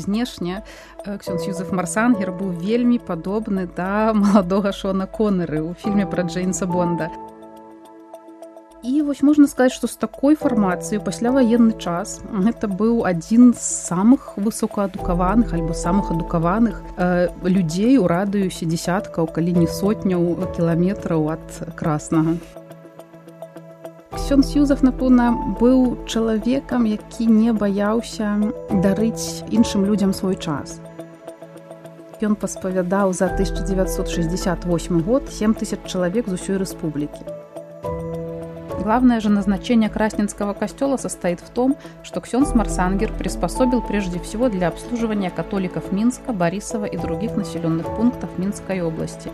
знешне ксёндз Юзеф Марсангер быў вельмі падобны да маладога Шона Коннеры ў фільме пра Джеймса Бонда. І вось можна сказаць, што з такой фармацыяй пасляваенны час гэта быў адзін з самых высокаадукаваных альбо самых адукаваных людзей у радыусе дзесяткаў, калі не сотняў кіламетраў ад Краснага. Ксёндз Юзеф, напэўна, быў чалавекам, які не баяўся дарыць іншым людзям свой час. Ён паспавядаў за 1968 год 7000 чалавек з усёй рэспублікі. Главное же назначение Красненского костела состоит в том, что ксёндз Марсангер приспособил прежде всего для обслуживания католиков Минска, Борисова и других населенных пунктов Минской области.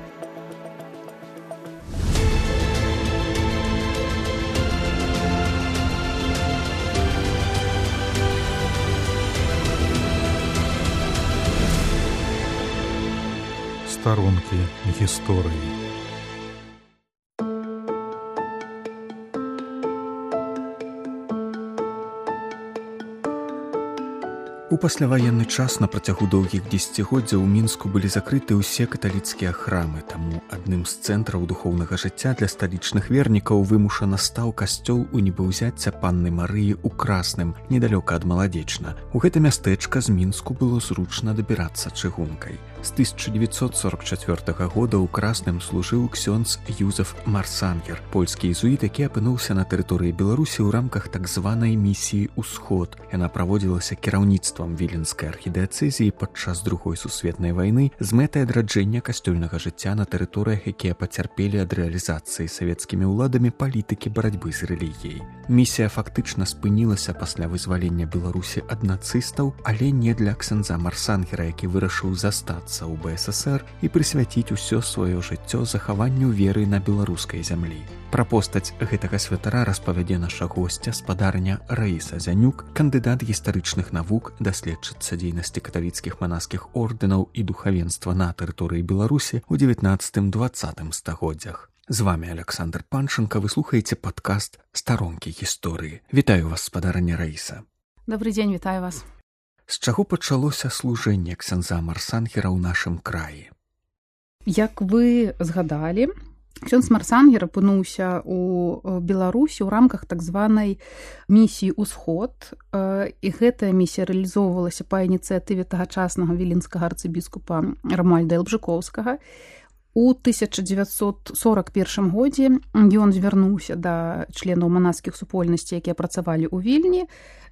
Сторонки истории. У пасляваенны час на працягу доўгіх дзесяцігоддзяў у Мінску былі закрыты ўсе каталіцкія храмы, таму адным з цэнтраў духоўнага жыцця для сталічных вернікаў вымушана стаў касцёл у небаўзяцця Панны Марыі ў Красным, недалёка ад Маладзечна. У гэта мястэчка з Мінску было зручна дабірацца чыгункай. З 1944 года ў Красным служыў ксёндз Юзеф Марсангер, польскі езуіт, які апынуўся на тэрыторыі Беларусі ў рамках так званай місіі «Усход». Яна праводзілася кіраўніцтвам віленскай архідыяцэзіі падчас Другой сусветнай вайны з мэтай адраджэння касцёльнага жыцця на тэрыторыях, якія пацярпелі ад рэалізацыі савецкімі ўладамі палітыкі барацьбы з рэлігіяй. Місія фактычна спынілася пасля вызвалення Беларусі ад нацыстаў, але не для ксяндза Марсангера, які вырашыў застацца у БССР і прысвяціць усё сваё жыццё захаванню веры на беларускай зямлі. Пра постаць гэтага святара распавядзе наша госця, спадарня Раіса Зянюк, кандыдат гістарычных навук, даследчыца дзейнасці каталіцкіх манаскіх ордэнаў і духавенства на тэрыторыі Беларусі ў 19-20 стагоддзях. З вами Александр Панченко, вы слухаеце падкаст «Сторонки гісторыі». Вітаю вас, спадарня Раіса. Добрый дзень, вітаю вас. З чаго пачалося служэнне ксяндза Марсангера ў нашым краі? Як вы згадалі, ксёндз Марсангер апынуўся ў Беларусі ў рамках так званай місіі «Усход», і гэтая місія рэалізоўвалася па ініцыятыве тагачаснага віленскага арцыбіскупа Рамуальда Элбжыкоўскага. У 1941 годзе ён звярнуўся да членаў манаскіх супольнасцей, якія працавалі ў Вільні,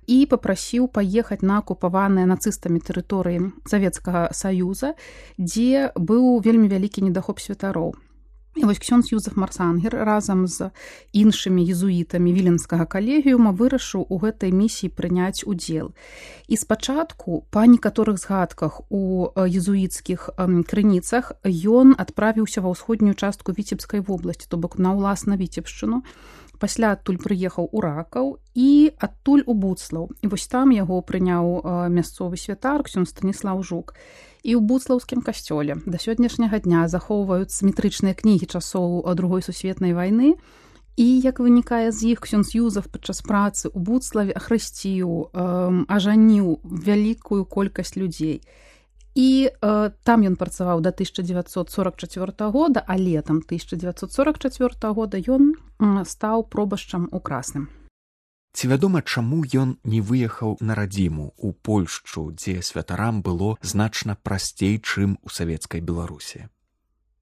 і папрасіў паехаць на акупаваныя нацыстамі тэрыторыі Савецкага Саюза, дзе быў вельмі вялікі недахоп святароў. І вось ксёндз Юзеф Марсангер разам з іншымі езуітамі віленскага калегіума вырашыў у гэтай місіі прыняць удзел. І спачатку, па некаторых згадках у езуіцкіх крыніцах, ён адправіўся ва ўсходнюю частку Віцебскай вобласці, то бок на ўласна Віцебшчыну. Пасля адтуль прыехаў у Ракаў і адтуль у Буцлаў. І вось там яго прыняў мясцовы святар ксёндз Станіслаў Жук. І ў буцлаўскім касцёле да сённяшняга дня захоўваюцца метрычныя кнігі часоў Другой сусветнай вайны. І, як вынікае з іх, ксёндз Юзеф падчас працы ў Буцлаве ахрысціў, ажаніў вялікую колькасць людзей. І там ён працаваў да 1944 года, а летам 1944 года ён стаў пробашчам у Красным. Ці вядома, чаму ён не выехаў на радзіму ў Польшчу, дзе святарам было значна прасцей, чым у савецкай Беларусі?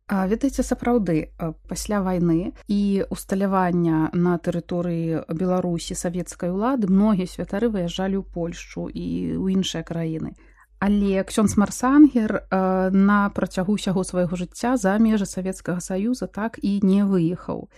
Ведаеце, сапраўды, пасля вайны і усталявання на тэрыторыі Беларусі савецкай улады многія святары выязджалі ў Польшчу і ў іншыя краіны. Але ксёндз Марсангер на працягу ўсяго свайго жыцця за межы Савецкага Саюза так і не выехаў.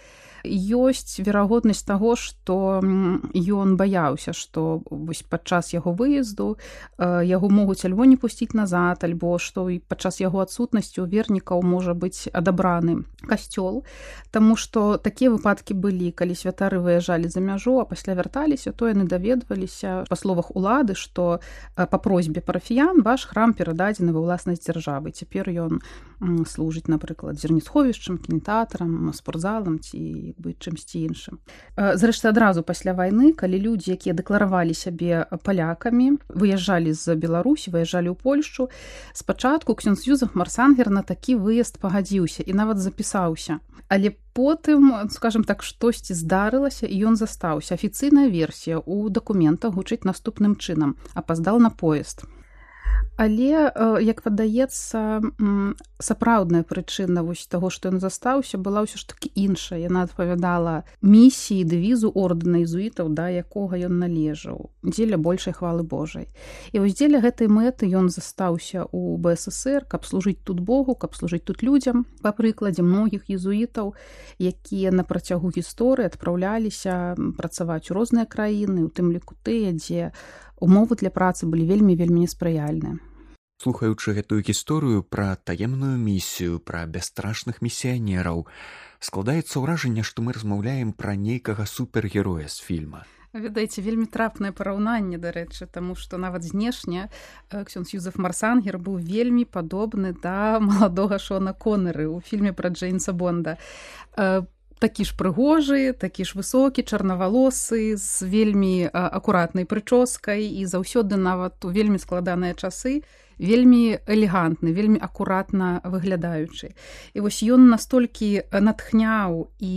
Ёсць верагоднасць таго, што ён баяўся, што падчас яго выезду яго могуць альбо не пусціць назад, альбо што падчас яго адсутнасці ў вернікаў можа быць адабраны касцёл, таму што такія выпадкі былі, калі святары выязджалі за мяжу, а пасля вярталіся, то яны даведваліся па словах улады, што па просьбе парафіян ваш храм перададзены ва ўласнасць дзяржавы. Цяпер ён служыць, напрыклад, зернесховішчам, кінатэатрам, спортзалам ці быць чымсьці іншым. Зрэшты, адразу пасля вайны, калі людзі, якія дэкларавалі сябе палякамі, выязджалі з Беларусі, выязджалі ў Польшчу, спачатку ксёндз Юзеф Марсангер на такі выезд пагадзіўся і нават запісаўся. Але потым, скажем так, штосьці здарылася, і ён застаўся. Афіцыйная версія ў дакументах гучыць наступным чынам: апаздал на поезд. Але, як падаецца, сапраўдная прычына таго, што ён застаўся, была ўсё ж такі іншая. Яна адпавядала місіі, дэвізу ордэна езуітаў, да якога ён належаў, дзеля большай хвалы Божай. І вось дзеля гэтай мэты ён застаўся ў БССР, каб служыць тут Богу, каб служыць тут людзям. Па прыкладзе многіх езуітаў, якія на працягу гісторыі адпраўляліся працаваць у розныя краіны, у тым ліку тыя, дзе умовы для працы былі вельмі неспрыяльныя. Слухаючы гэтую гісторыю пра таемную місію, пра бясстрашных місіянераў, складаецца ўражанне, што мы размаўляем пра нейкага супергероя з фільма. Ведаеце, вельмі трапнае параўнанне, дарэчы, таму што нават знешне ксёндз Юзеф Марсангер быў вельмі падобны да маладога Шона Коннеры ў фільме пра Джеймса Бонда. Такі ж прыгожы, такі ж высокі, чарнавалосы, з вельмі акуратнай прычоскай і заўсёды нават у вельмі складаныя часы вельмі элегантны, вельмі акуратна выглядаючы. І вось ён настолькі натхняў і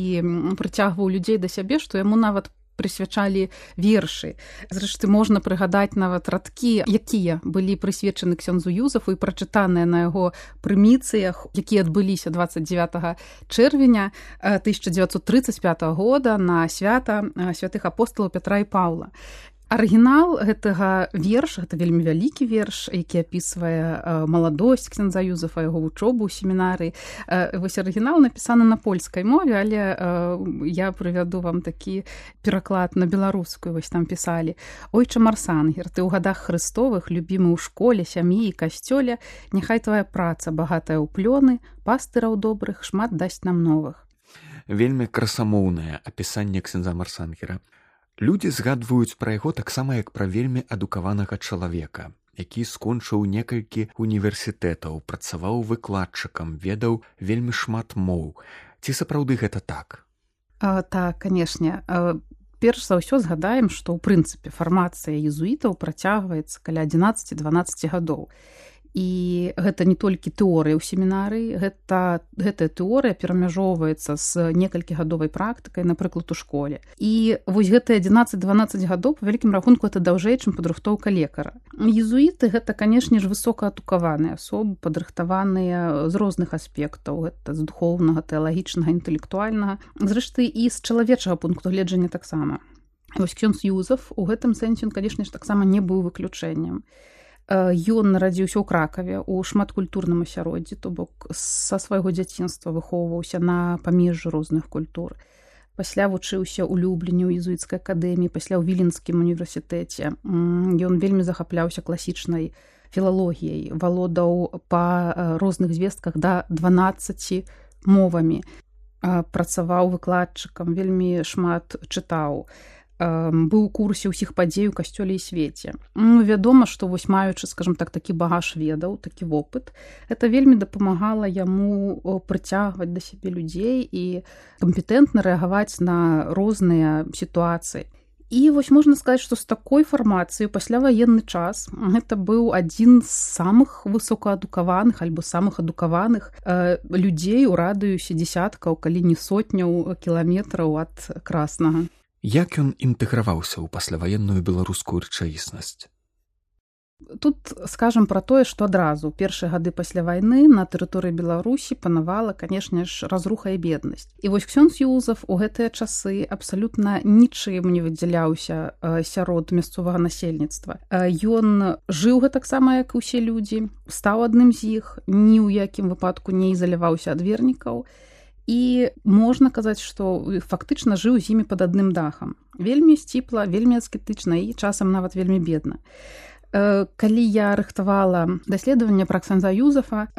прыцягваў людзей да сябе, што яму нават прысвячалі вершы. Зрэшты, можна прыгадаць нават радкі, якія былі прысвечаны ксёндзу Юзефу і прачытаныя на яго прыміцыях, якія адбыліся 29 чэрвеня 1935 года на свята святых апосталаў Пятра і Паўла. Арыгінал гэтага верша, гэта вельмі вялікі верш, які апісвае маладосць ксяндза Юзефа, яго вучобу ў семінарыі. Вось арыгінал напісаны на польскай мове, але я прывяду вам такі пераклад на беларускую. Вось там пісалі: «Ойча Марсангер, ты ў гадах Христовых, любімы ў школе, сям'і і касцёле, няхай твая праца багатая ў плёны, пастыраў добрых шмат дасць нам новых». Вельмі красамоўнае апісанне ксяндза Марсангера. Людзі згадваюць пра яго таксама як пра вельмі адукаванага чалавека, які скончыў некалькі універсітэтаў, працаваў выкладчыкам, ведаў вельмі шмат моў. Ці сапраўды гэта так? Так, канешне. Перш за ўсё згадаем, што ў прынцыпе фармацыя езуітаў працягваецца каля 11-12 гадоў. І гэта не толькі тэорыя ў семінарыі, гэтая тэорыя перамяжоўваецца з некалькігадовай практыкай, напрыклад, у школе. І вось гэтыя 11-12 гадоў, па вялікім рахунку, гэта даўжэй, чым падрыхтоўка лекара. Езуіты — гэта, канешне ж, высокаадукаваныя асобы, падрыхтаваныя з розных аспектаў. Гэта з духоўнага, тэалагічнага, інтэлектуальнага. Зрэшты, і з чалавечага пункту гледжання таксама. Вось ксёндз Юзеф у гэтым сэнсе, канешне ж, таксама не быў выключэннем. Ён нарадзіўся ў Кракаве у шматкультурным асяроддзі, то бок са свайго дзяцінства выхоўваўся на памежжы розных культур. Пасля вучыўся ў Любліне ў езуіцкай акадэміі, пасля ў Віленскім універсітэце. Ён вельмі захапляўся класічнай філалогіяй, валодаў па розных звестках да 12 мовамі, працаваў выкладчыкам, вельмі шмат чытаў. Быў у курсе ўсіх падзей у касцёле і свеце. Вядома, што вось маючы, скажам так, такі багаж ведаў, такі вопыт, гэта вельмі дапамагала яму прыцягваць да сябе людзей і кампетэнтна рэагаваць на розныя сітуацыі. І вось можна сказаць, што з такой фармацыяй пасляваенны час гэта быў адзін з самых высокаадукаваных альбо самых адукаваных людзей у радыусе дзесяткаў, калі не сотняў кіламетраў ад Краснага. Як ён інтэграваўся ў пасляваенную беларускую рэчаіснасць? Тут скажам пра тое, што адразу першыя гады пасля вайны на тэрыторыі Беларусі панавала, канешне ж, разруха і беднасць. І вось ксёндз Юзеф у гэтыя часы абсалютна нічым не выдзяляўся сярод мясцовага насельніцтва. Ён жыў гэтаксама, як і ўсе людзі, стаў адным з іх, ні ў якім выпадку не ізаляваўся ад вернікаў. І можна казаць, што фактычна жыў з імі пад адным дахам. Вельмі сціпла, вельмі аскетычна і часам нават вельмі бедна. Калі я рыхтавала даследаванне пра ксяндза Юзефа,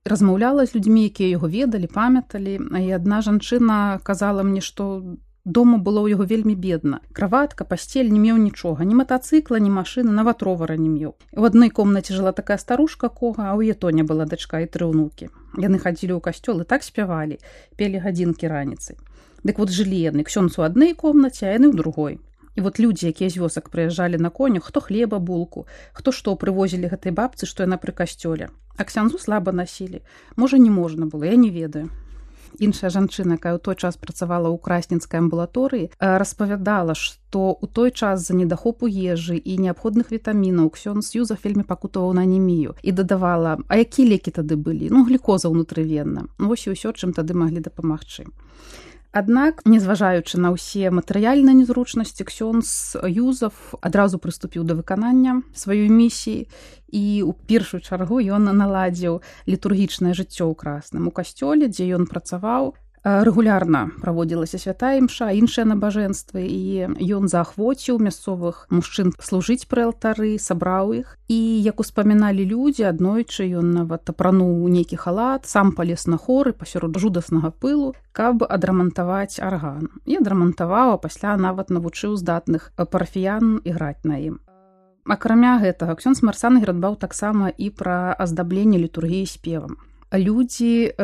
размаўляла з людзьмі, якія яго ведалі, памяталі, і адна жанчына казала мне, што дома было ў яго вельмі бедна. Краватка, пасцель, не меў нічога, ні матацыкла, ні машыны, нават ровара не меў. У адной комнаце жыла такая старушка Кога, а ў яе Тоня была дачка і 3 ўнукі. Яны хадзілі ў касцёл і так спявалі, пелі гадзінкі раніцай. Дык вот жылі яны ксёндз у адной комнаце, а яны ў другой. І вот людзі, якія з вёсак прыязджалі на конях, хто хлеба, булку, хто што прывозілі гэтай бабцы, што яна пры касцёле. А ксяндзу слаба насілі. Можа, не можна было, я не ведаю. Іншая жанчына, якая ў той час працавала ў красненскай амбулаторыі, распавядала, што ў той час з-за недахопу ежы і неабходных вітамінаў ксёндз Юзаф вельмі пакутаваў на анемію і дадавала: а якія лекі тады былі? Глюкоза ўнутрывенна. Вось і ўсё, чым тады маглі дапамагчы. Аднак, незважаючы на ўсе матэрыяльныя незручнасці, ксёндз Юзаф адразу прыступіў да выканання сваёй місіі і ў першую чаргу ён наладзіў літургічнае жыццё ў Красным. У касцёле, дзе ён працаваў, рэгулярна праводзілася святая імша, іншыя набажэнствы, і ён заахвоціў мясцовых мужчын служыць пры алтары, сабраў іх. І, як успаміналі людзі, аднойчы ён нават апрануў нейкі халат, сам палез на хоры пасярод жудаснага пылу, каб адрамантаваць арган. І адрамантаваў, а пасля нават навучыў здатных парафіян іграць на ім. Акрамя гэтага, ксёндз Марсангер дбаў таксама і пра аздабленне літургіі спевам. Людзі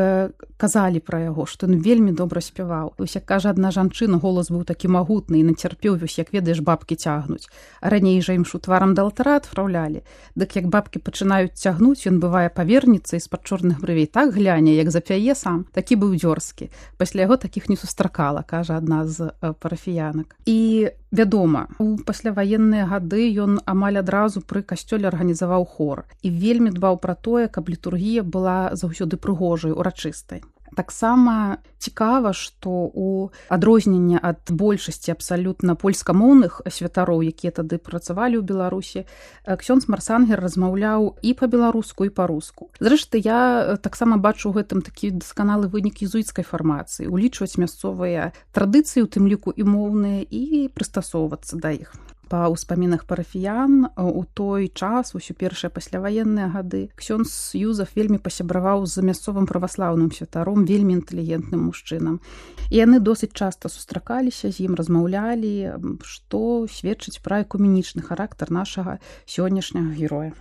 казалі пра яго, што ён вельмі добра спяваў. Вось, як кажа адна жанчына, голас быў такі магутны і нацярпеў, вось, як ведаеш, бабкі цягнуць. А раней жа імшу тварам да алтара адпраўлялі. Дык як бабкі пачынаюць цягнуць, ён бывае павернецца і з-пад чорных брывей так гляне, як запяе сам, такі быў дзёрзкі. Пасля яго такіх не сустракала, кажа адна з парафіянак. І вядома, у пасляваенныя гады ён амаль адразу пры касцёле арганізаваў хор і вельмі дбаў пра тое, каб літургія была заўсёды прыгожай, урачыстай. Таксама цікава, што у адрозненне ад большасці абсалютна польскамоўных святароў, якія тады працавалі ў Беларусі, ксёндз Марсангер размаўляў і па-беларуску, і па-руску. Зрэшты, я таксама бачу ў гэтым такі дасканалы вынік езуіцкай фармацыі, улічваць мясцовыя традыцыі, у тым ліку і моўныя, і прыстасоўвацца да іх. Па ўспамінах парафіян у той час, усё першыя пасляваенныя гады, ксёндз Юзаф вельмі пасябраваў з мясцовым праваслаўным святаром, вельмі інтэлігентным мужчынам. І яны досыць часта сустракаліся з ім, размаўлялі, што сведчыць пра экуменічны характар нашага сённяшняга героя.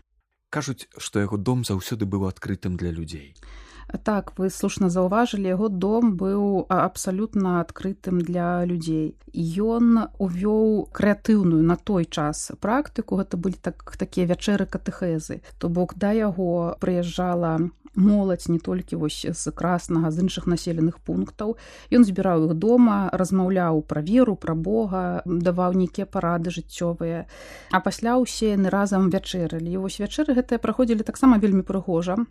Кажуць, што яго дом заўсёды быў адкрытым для людзей. Так, вы слушна заўважылі, яго дом быў абсалютна адкрытым для людзей. Ён увёў крэатыўную на той час практыку, гэта былі такія вячэры катэхезы. То бок да яго прыязджала моладзь не толькі вось з Краснага, з іншых населеных пунктаў. Ён збіраў іх дома, размаўляў пра веру, пра Бога, даваў нейкія парады жыццёвыя. А пасля ўсе яны разам вячэралі. І вось вячэры гэтыя праходзілі таксама вельмі прыгожа.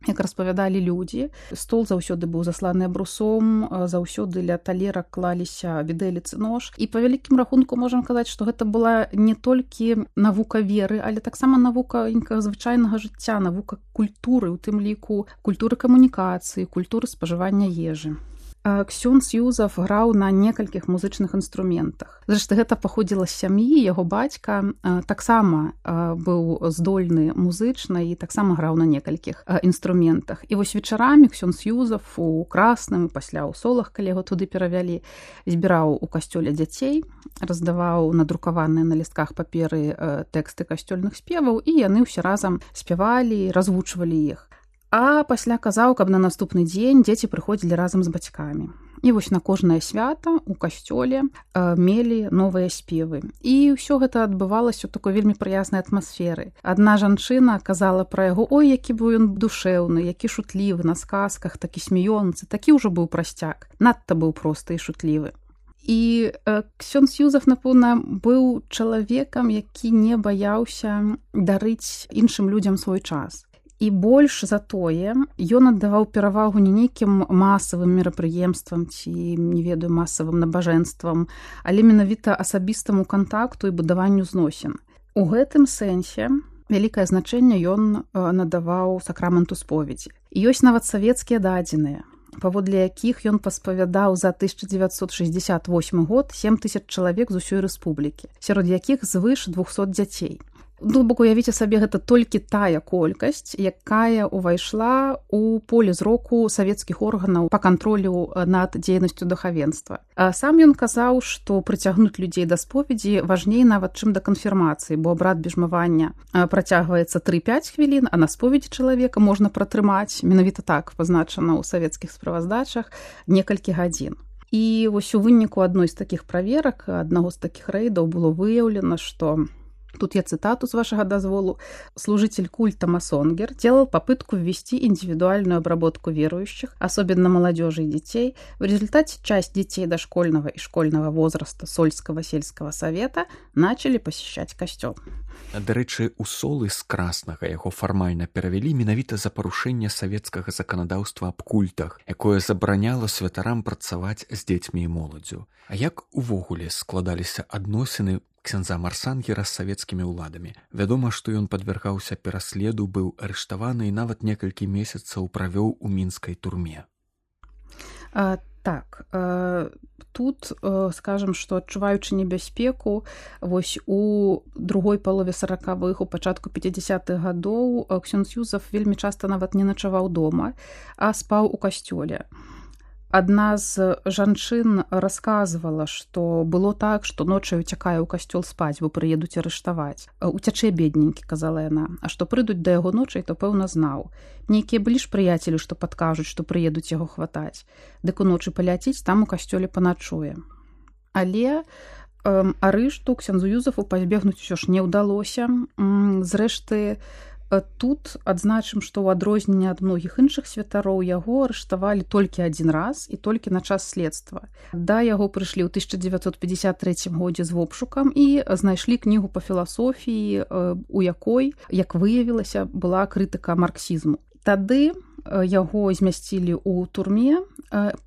Як распавядалі людзі, стол заўсёды быў засланы абрусом, заўсёды ля талерак клаліся відэліцы, нож. І па вялікім рахунку можам казаць, што гэта была не толькі навука веры, але таксама навука звычайнага жыцця, навука культуры, у тым ліку культуры камунікацыі, культуры спажывання ежы. Ксёндз Юзаф граў на некалькіх музычных інструментах. Зрэшты, гэта паходзіла з сям'і, яго бацька таксама быў здольны музычна і таксама граў на некалькіх інструментах. І вось вечарамі ксёндз Юзаф у Красным, пасля ў Солах, калі яго туды перавялі, збіраў у касцёле дзяцей, раздаваў надрукаваныя на лістках паперы тэксты касцёльных спеваў, і яны ўсе разам спявалі, развучвалі іх. А пасля казаў, каб на наступны дзень дзеці прыходзілі разам з бацькамі. І вось на кожнае свята ў касцёле мелі новыя спевы. І ўсё гэта адбывалася ў такой вельмі прыязнай атмасферы. Адна жанчына казала пра яго: ой, які быў ён душэўны, які шутлівы на сказках, такі смеёнцы, такі ўжо быў прасцяк, надта быў просты і шутлівы. І ксёндз Юзаф, напэўна, быў чалавекам, які не баяўся дарыць іншым людзям свой час. І больш за тое, ён аддаваў перавагу не нейкім масавым мерапрыемствам ці, не ведаю, масавым набажэнствам, але менавіта асабістаму кантакту і будаванню зносін. У гэтым сэнсе вялікае значэнне ён надаваў сакраменту споведзі. І ёсць нават савецкія дадзеныя, паводле якіх ён паспавядаў за 1968 год 7000 чалавек з усёй рэспублікі, сярод якіх звыш 200 дзяцей. Бок уявіце сабе, гэта толькі тая колькасць, якая ўвайшла ў поле зроку савецкіх органаў па кантролю над дзейнасцю духавенства. Сам ён казаў, што прыцягнуць людзей да споведзі важней нават, чым да канфірмацыі, бо абрад бежмавання працягваецца 3-5 хвілін, а на споведзі чалавека можна пратрымаць, менавіта так пазначана ў савецкіх справаздачах, некалькі гадзін. І вось у выніку адной з такіх праверак, аднаго з такіх рэйдаў было выяўлена, што тут я цитату с вашего дозволу. «Служитель культа Масонгер делал попытку ввести индивидуальную обработку верующих, особенно молодежи и детей. В результате часть детей дошкольного и школьного возраста Сольского сельского совета начали посещать костёл». Дарэчы, у Солы з Краснага яго фармальна перавялі менавіта за парушэнне савецкага заканадаўства аб культах, якое забараняла святарам працаваць з дзецьмі і моладзю. А як увогуле складаліся адносіны ксяндза Марсангера з савецкімі ўладамі? Вядома, што ён падвяргаўся пераследу, быў арыштаваны і нават некалькі месяцаў правёў у мінскай турме. Так, тут скажем, што адчуваючы небяспеку, вось у другой палове 40-х, у пачатку 50-х гадоў ксёндз Юзаф вельмі часта нават не начаваў дома, а спаў у касцёле. Адна з жанчын расказвала, што было так, што ночай уцякае ў касцёл спаць, бо прыедуць арыштаваць. «Уцячэ, бедненькі», казала яна, «а што прыйдуць да яго ночай, то пэўна знаў. Нейкія былі ж прыяцелі, што падкажуць, што прыедуць яго хватаць. Дык уночы паляціць, там у касцёле паначуе». Але арышту ксяндзу Юзафу пазбегнуць усё ж не ўдалося. Зрэшты, тут адзначым, што ў адрозненне ад многіх іншых святароў яго арыштавалі толькі адзін раз і толькі на час следства. Да яго прыйшлі ў 1953 годзе з вобшукам і знайшлі кнігу па філасофіі, у якой, як выявілася, была крытыка марксізму. Тады яго змясцілі ў турме,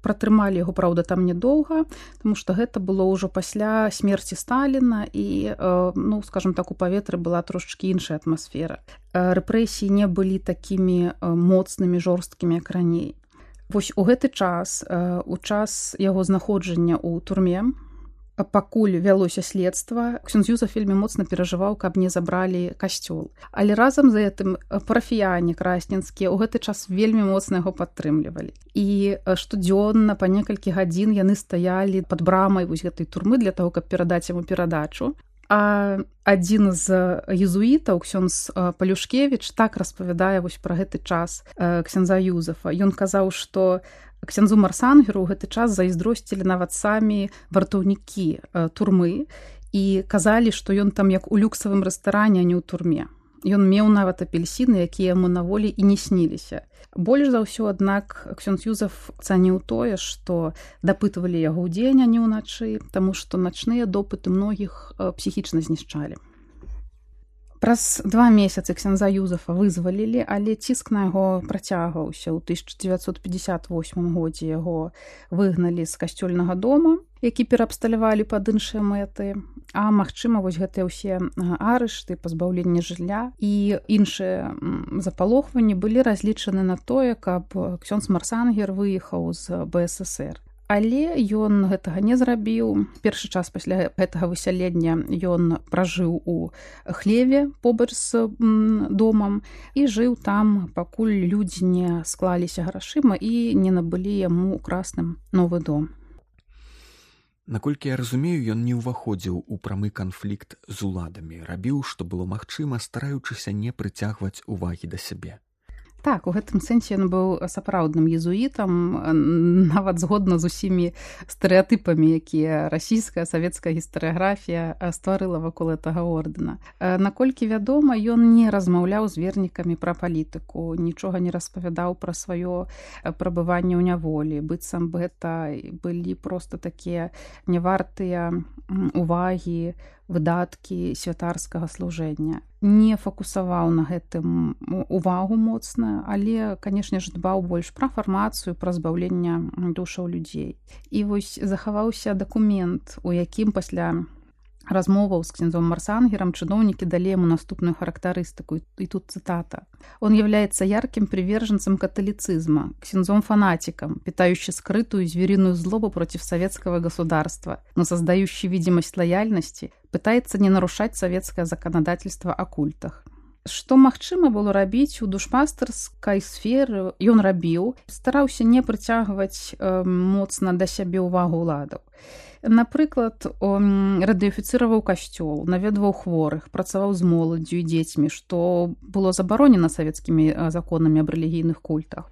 пратрымалі яго, праўда, там нядоўга, таму што гэта было ўжо пасля смерці Сталіна і, ну, скажем так, у паветры была трошачкі іншая атмасфера. Рэпрэсіі не былі такімі моцнымі, жорсткімі, як раней. Вось у гэты час, у час яго знаходжання ў турме, пакуль вялося следства, ксёндз Юзаф вельмі моцна перажываў, каб не забралі касцёл. Але разам з гэтым парафіяне красненскія ў гэты час вельмі моцна яго падтрымлівалі. І штодзённа па некалькі гадзін яны стаялі пад брамай вось гэтай турмы для таго, каб перадаць яму перадачу. А адзін з езуітаў, ксёндз Палюшкевіч, так распавядае вось пра гэты час ксяндза Юзафа. Ён казаў, што ксяндзу Марсангеру ў гэты час зайздросцілі нават самі вартаўнікі турмы і казалі, што ён там як у люксавым рэстаране, а не ў турме. Ён меў нават апельсіны, якія яму на волі і не сніліся. Больш за ўсё, аднак, ксёндз Юзаф цаніў тое, што дапытвалі яго ўдзень, а не ўначы, таму што начныя допыты многіх псіхічна знішчалі. Праз 2 месяцы ксяндза Юзафа вызвалілі, але ціск на яго працягваўся. У 1958 годзе яго выгналі з касцёльнага дома, які пераабсталявалі пад іншыя мэты. А магчыма, вось гэтыя ўсе арышты, пазбаўленне жылля і іншыя запалохванні былі разлічаны на тое, каб ксёндз Марсангер выехаў з БССР. Але ён гэтага не зрабіў. Першы час пасля гэтага высялення ён пражыў у хлеве побач з домам і жыў там, пакуль людзі не склаліся грашыма і не набылі яму ў Красным новы дом. Наколькі я разумею, ён не ўваходзіў у прамы канфлікт з уладамі, рабіў, што было магчыма, стараючыся не прыцягваць увагі да сябе. Так, у гэтым сэнсе ён быў сапраўдным езуітам, нават згодна з усімі стэрэатыпамі, якія расійская, савецкая гістарыяграфія стварыла вакол гэтага ордэна. Наколькі вядома, ён не размаўляў з вернікамі пра палітыку, нічога не распавядаў пра сваё прабыванне ў няволі. Быццам бы гэта былі проста такія нявартыя увагі, выдаткі святарскага служэння. Не фокусаваў на гэтым увагу моцна, але, канешне ж, дбаў больш пра фармацыю, пра збаўленне душаў людзей. І вось захаваўся дакумент, у якім пасля размоваў з ксяндзом Марсангером чиновники дали ему наступную характеристику, и тут цитата. «Он является ярким приверженцем католицизма, ксяндзом-фанатиком, питающий скрытую звериную злобу против советского государства, но создающий видимость лояльности, пытается не нарушать советское законодательство о культах». Што магчыма было рабіць у душпастарскай сферы, ён рабіў, стараўся не прыцягваць моцна да сябе ўвагу ўладаў. Напрыклад, радыёфіцыраваў касцёл, наведваў хворых, працаваў з моладдзю і дзецьмі, што было забаронена савецкімі законамі аб рэлігійных культах.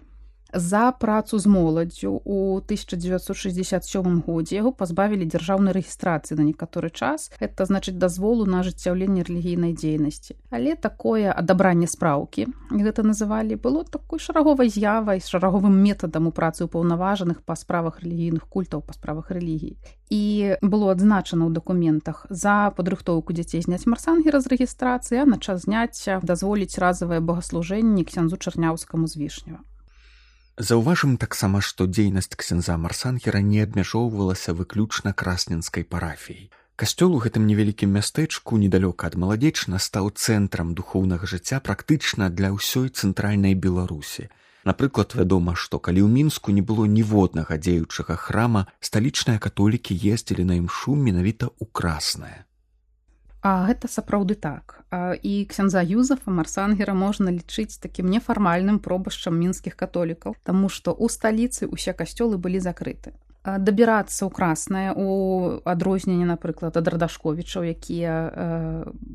За працу з моладдзю ў 1967 годзе яго пазбавілі дзяржаўнай рэгістрацыі на некаторы час. Гэта значыць дазволу на ажыццяўленне рэлігійнай дзейнасці. Але такое адабранне спраўкі, гэта называлі, было такой шараговай з'явай, шараговым метадам у працы ўпаўнаважаных па справах рэлігійных культаў, па справах рэлігій. І было адзначана ў дакументах за падрыхтоўку дзяцей зняць марсангера з рэгістрацыі, а на час зняцця дазволіць разавае богаслужэнне ксяндзу Чарняўскаму з Вішнева. Заўважым таксама, што дзейнасць ксяндза Марсангера не абмяжоўвалася выключна красненскай парафіяй. Касцёл у гэтым невялікім мястэчку недалёка ад Маладзечна стаў цэнтрам духоўнага жыцця практычна для ўсёй цэнтральнай Беларусі. Напрыклад, вядома, што калі ў Мінску не было ніводнага дзеючага храма, сталічныя католікі ездзілі на імшу менавіта ў Краснае. А гэта сапраўды так. І ксяндза Юзафа Марсангера можна лічыць такім нефармальным пробашчам мінскіх католікаў, таму што ў сталіцы ўсе касцёлы былі закрыты. Дабірацца ў Краснае, у адрозненне, напрыклад, ад Радашковічаў, якія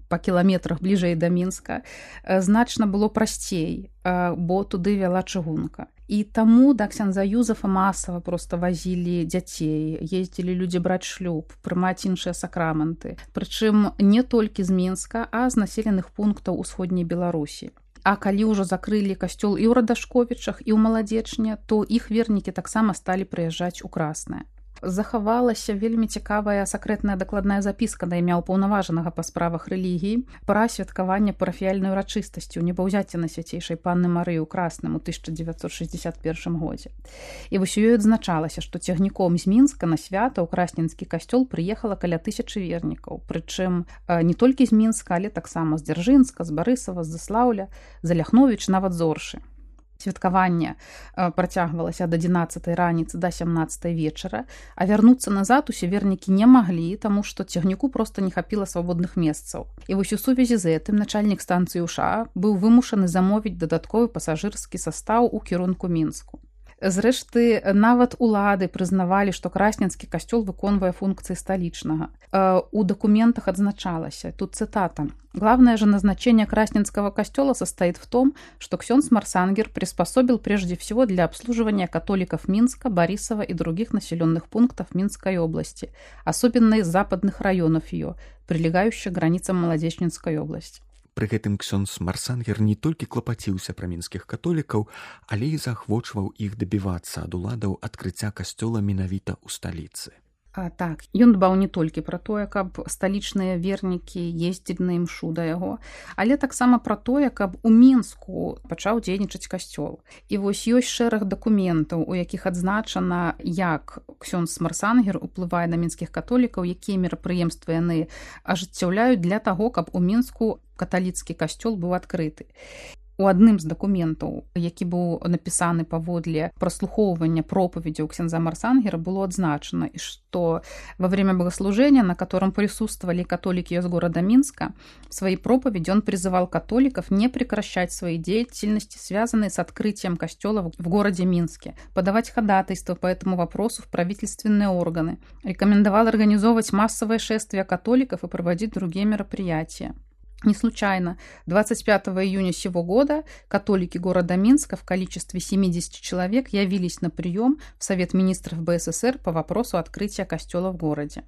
па кіламетрах бліжэй да Мінска, значна было прасцей, бо туды вяла чыгунка. І таму да ксяндза Юзафа масава проста вазілі дзяцей, ездзілі людзі браць шлюб, прымаць іншыя сакраманты. Прычым не толькі з Мінска, а з населеных пунктаў усходняй Беларусі. А калі ўжо закрылі касцёл і ў Радашковічах, і ў Маладзечне, то іх вернікі таксама сталі прыязджаць у Краснае. Захавалася вельмі цікавая сакрэтная дакладная запіска на імя ўпаўнаважанага па справах рэлігіі пра святкаванне парафіяльнай урачыстасці ў небаўзяцці Найсвяцейшай Панны Марыі ў Красным у 1961 годзе. І вось у ёй адзначалася, што цягніком з Мінска на свята ў красненскі касцёл прыехала каля 1000 вернікаў, прычым не толькі з Мінска, але таксама з Дзяржынска, з Барысава, з Заслаўля, з Ляхновіч, нават з Оршы. Святкаванне працягвалася ад 11 раніцы да 17 вечара, а вярнуцца назад усе вернікі не маглі, таму што цягніку проста не хапіла свабодных месцаў. І вось у сувязі з гэтым начальнік станцыі УША быў вымушаны замовіць дадатковы пасажырскі састаў у кірунку Мінску. Зрэшты, нават улады прызнавалі, што красненскі касцёл выконвае функцыі сталічнага. У документах адзначалася, тут цитата: «Главное же назначение Красненского костела состоит в том, что ксёндз Марсангер приспособил прежде всего для обслуживания католиков Минска, Борисова и других населенных пунктов Минской области, особенно из западных районов ее, прилегающих к границам Молодечнинской области». Пры гэтым ксёндз Марсангер не толькі клапаціўся пра мінскіх католікаў, але і заахвочваў іх дабівацца ад уладаў адкрыцця касцёла менавіта ў сталіцы. Так, ён дбаў не толькі пра тое, каб сталічныя вернікі ездзілі на імшу да яго, але таксама пра тое, каб у Мінску пачаў дзейнічаць касцёл. І вось ёсць шэраг дакументаў, у якіх адзначана, як ксёндз Марсангер уплывае на мінскіх католікаў, якія мерапрыемствы яны ажыццяўляюць для таго, каб у Мінску каталіцкі касцёл быў адкрыты. У адным з дакументаў, які быў напісаны паводле праслухоўвання пропаведзяў ксяндза Марсангера, было адзначана, что во время богослужения, на котором присутствовали католики из города Минска, в своей проповеди он призывал католиков не прекращать свои деятельности, связанные с открытием костела в городе Минске, подавать ходатайство по этому вопросу в правительственные органы, рекомендовал организовывать массовое шествие католиков и проводить другие мероприятия. Не случайно 25 июня сего года католики города Минска в количестве 70 человек явились на прием в Совет министров БССР по вопросу открытия костела в городе.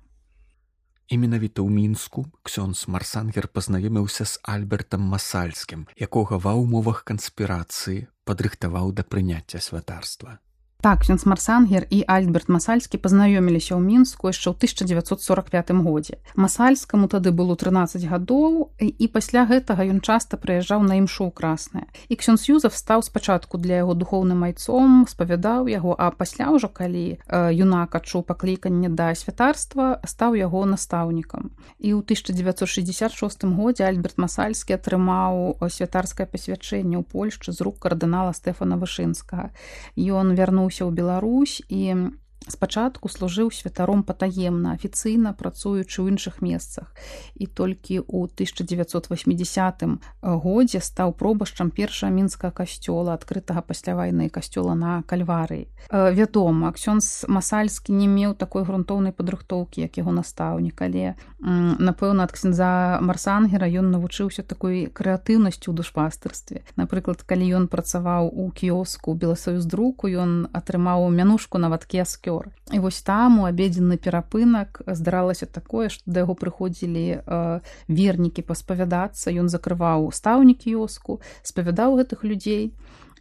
І менавіта ў Мінску ксёндз Марсангер пазнаёміўся з Альбертам Масальскім, якога ва ўмовах канспірацыі падрыхтаваў да прыняцця святарства. Так, ксёндз Марсангер і Альберт Масальскі пазнаёміліся ў Мінску яшчэ ў 1945 годзе. Масальскаму тады было 13 гадоў, і пасля гэтага ён часта прыязджаў на імшу ў Краснае. І ксёндз Юзаф стаў спачатку для яго духоўным айцом, спавядаў яго, а пасля ўжо, калі юнак адчуў пакліканне да святарства, стаў яго настаўнікам. І ў 1966 годзе Альберт Масальскі атрымаў святарскае пасвячэнне ў Польшчы з рук кардынала Стэфана Вышынскага. Ён вярнуўся ў Беларусь і Спачатку служыў святаром патаемна, афіцыйна працуючы ў іншых месцах. І толькі ў 1980 годзе стаў пробашчам першага мінскага касцёла, адкрытага пасля вайны касцёла на Кальварыі. Вядома, ксёндз Масальскі не меў такой грунтоўнай падрыхтоўкі, як яго настаўнік, але, напэўна, ад ксяндза Марсангера ён навучыўся такой крэатыўнасці ў душпастырстве. Напрыклад, калі ён працаваў у кіёску Беласоюздруку, ён атрымаў мянушку на вадкі аскёр. І вось там у абедзенны перапынак здаралася такое, што да яго прыходзілі вернікі паспавядацца, ён закрываў стаўні кіёску, спавядаў гэтых людзей,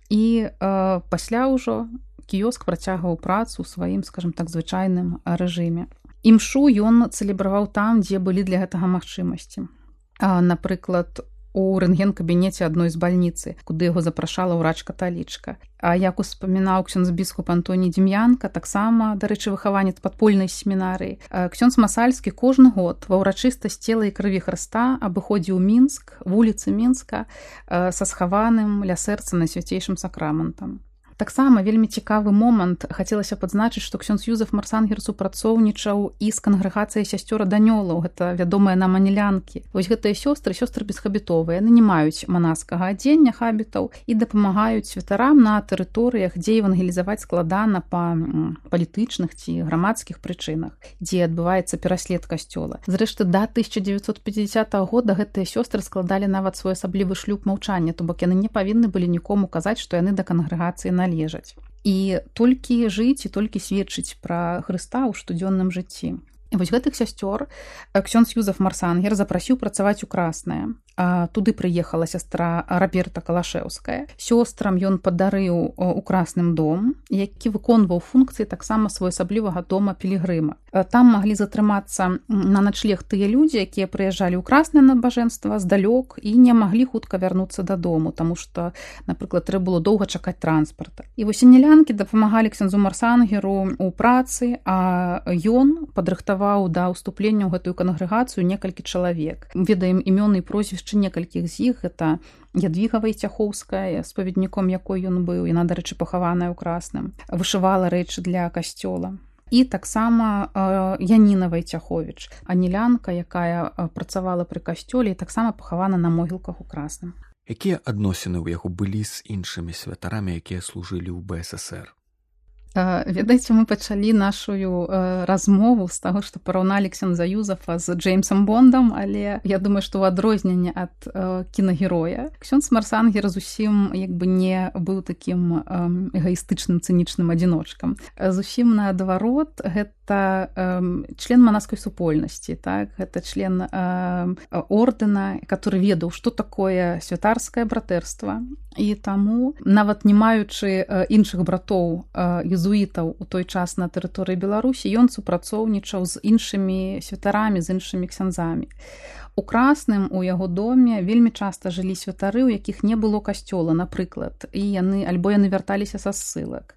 і пасля ўжо кіёск працягваў працу ў сваім, скажам так, звычайным рэжыме. Імшу ён цэлебраваў там, дзе былі для гэтага магчымасці. Напрыклад, у рэнтген-кабінеце адной з бальніцы, куды яго запрашала ўрач-каталічка. А як успамінаў ксёндз біскуп Антоній Дзім'янка, таксама, дарэчы, выхаванец падпольнай семінарыі, ксёндз Масальскі кожны год ва ўрачыстасць цела і крыві Хрыста абыходзіў Мінск, вуліцы Мінска са схаваным ля сэрца найсвяцейшым сакраментам. Таксама вельмі цікавы момант хацелася падзначыць, што ксёндз Юзеф Марсангер супрацоўнічаў і з кангрэгацыяй сясцёр Данёлаў, гэта вядомыя нам анілянкі. Вось гэтыя сёстры бесхабітовыя, яны не маюць манаскага адзення, хабітаў, і дапамагаюць святарам на тэрыторыях, дзе евангелізаваць складана па палітычных ці грамадскіх прычынах, дзе адбываецца пераслед касцёла. Зрэшты, да 1950 года гэтыя сёстры складалі нават своеасаблівы шлюб маўчання, то бок яны не павінны былі нікому казаць, што яны да кангрэгацыі належаць. І толькі жыць і толькі сведчыць пра Хрыста ў штодзённым жыцці. І вось гэтых сясцёр ксёндз Юзеф Марсангер запрасіў працаваць у Краснае. Туды прыехала сястра Роберта Калашэўская. Сёстрам ён падарыў у Красным дом, які выконваў функцыі таксама своеасаблівага дома пілігрыма. Там маглі затрымацца на начлег тыя людзі, якія прыязджалі ў краснае набажэнства здалёк і не маглі хутка вярнуцца дадому, таму што, напрыклад, трэба было доўга чакаць транспарта. І вось анілянкі дапамагалі ксяндзу Марсангеру ў працы, а ён падрыхтаваў да ўступлення ў гэтую кангрэгацыю некалькі чалавек. Ведаем імёны і прозвішчы некалькіх з іх, гэта Ядвіга Вайцяхоўская, споведніком якой ён быў, яна, дарэчы, пахаваная ў Красным, вышывала рэчы для касцёла. І таксама Яніна Вайцяховіч, анілянка, якая працавала пры касцёле і таксама пахавана на могілках у Красным. Якія адносіны ў яго былі з іншымі святарамі, якія служылі ў БССР? Ведаеце, мы пачалі нашу размову з таго, што параўналі ксяндза Юзефа з Джеймсом Бондам, але я думаю, што ў адрозненне ад кінагероя ксёндз Марсангер зусім не быў такім эгаістычным, цынічным адзіночкам. Зусім наадварот, гэта член манаскай супольнасці, так? Гэта член ордэна, который ведаў, што такое святарскае братэрства, і таму, нават не маючы іншых братоў езуітаў у той час на тэрыторыі Беларусі, ён супрацоўнічаў з іншымі святарамі, з іншымі ксяндзамі. У Красным у яго доме вельмі часта жылі святары, у якіх не было касцёла, напрыклад, і яны вярталіся са ссылак.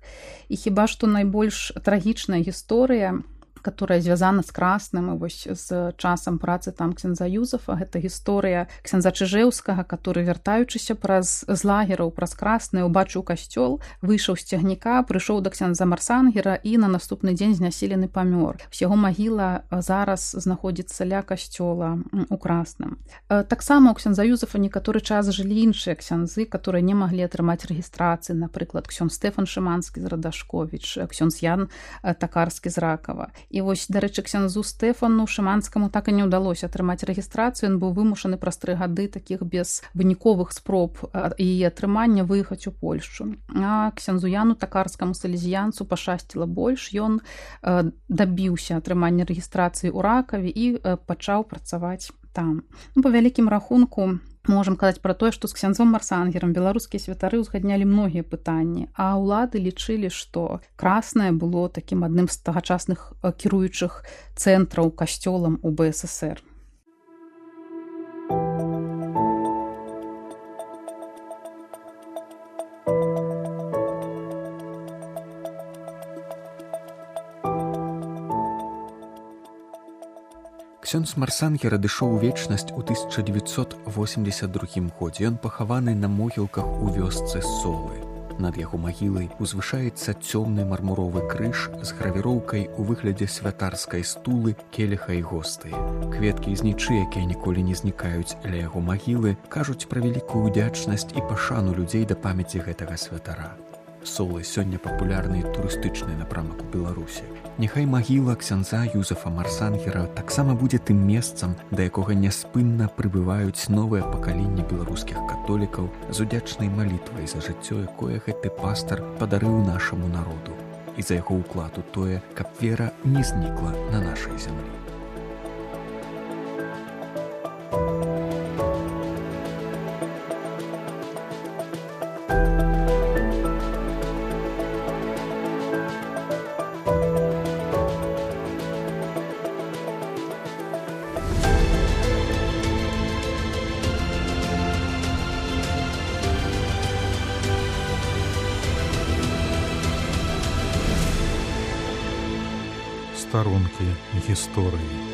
І хіба што найбольш трагічная гісторыя, которая звязана з Красным і вось з часам працы там ксяндза Юзефа, гэта гісторыя ксяндза Чыжэўскага, который, вяртаючыся з лагераў праз Краснае, убачыў касцёл, выйшаў з цягніка, прыйшоў да ксяндза Марсангера і на наступны дзень знясілены памёр. Яго магіла зараз знаходзіцца ля касцёла у Красным. Таксама у ксяндза Юзефа некаторы час жылі іншыя ксяндзы, которые не маглі атрымаць рэгістрацыі, напрыклад, ксёндз Стэфан Шыманскі з Радашковіч, ксёндз Ян Такарскі з Ракава. І вось, дарэчы, ксяндзу Стэфану Шыманскаму так і не ўдалося атрымаць рэгістрацыю, ён быў вымушаны праз 3 гады такіх безвыніковых спроб яе атрымання выехаць у Польшчу. А ксяндзу Яну Такарскаму салезіянцу пашчасціла больш, ён дабіўся атрымання рэгістрацыі ў Ракаве і пачаў працаваць там. Па вялікім рахунку, можам казаць пра тое, што з ксяндзом Марсангерам беларускія святары ўзгаднялі многія пытанні, а ўлады лічылі, што Краснае было такім адным з тагачасных кіруючых цэнтраў касцёлам у БССР. Ксёндз Марсангер адышоў у вечнасць у 1982 годзе. Ён пахаваны на могілках у вёсцы Солы. Над яго магілай узвышаецца цёмны мармуровы крыж з гравіроўкай у выглядзе святарскай стулы, келіха і гостыя. Кветкі з нічы, якія ніколі не знікаюць ля яго магілы, кажуць пра вялікую ўдзячнасць і пашану людзей да памяці гэтага святара. Солы сёння папулярны турыстычны напрамак у Беларусі. Няхай магіла ксяндза Юзефа Марсангера таксама будзе тым месцам, да якога няспынна прыбываюць новыя пакаленні беларускіх католікаў з удзячнай малітвай за жыццё, якое гэты пастар падарыў нашаму народу, і за яго ўклад у тое, каб вера не знікла на нашай зямлі. Старонкі гісторыі.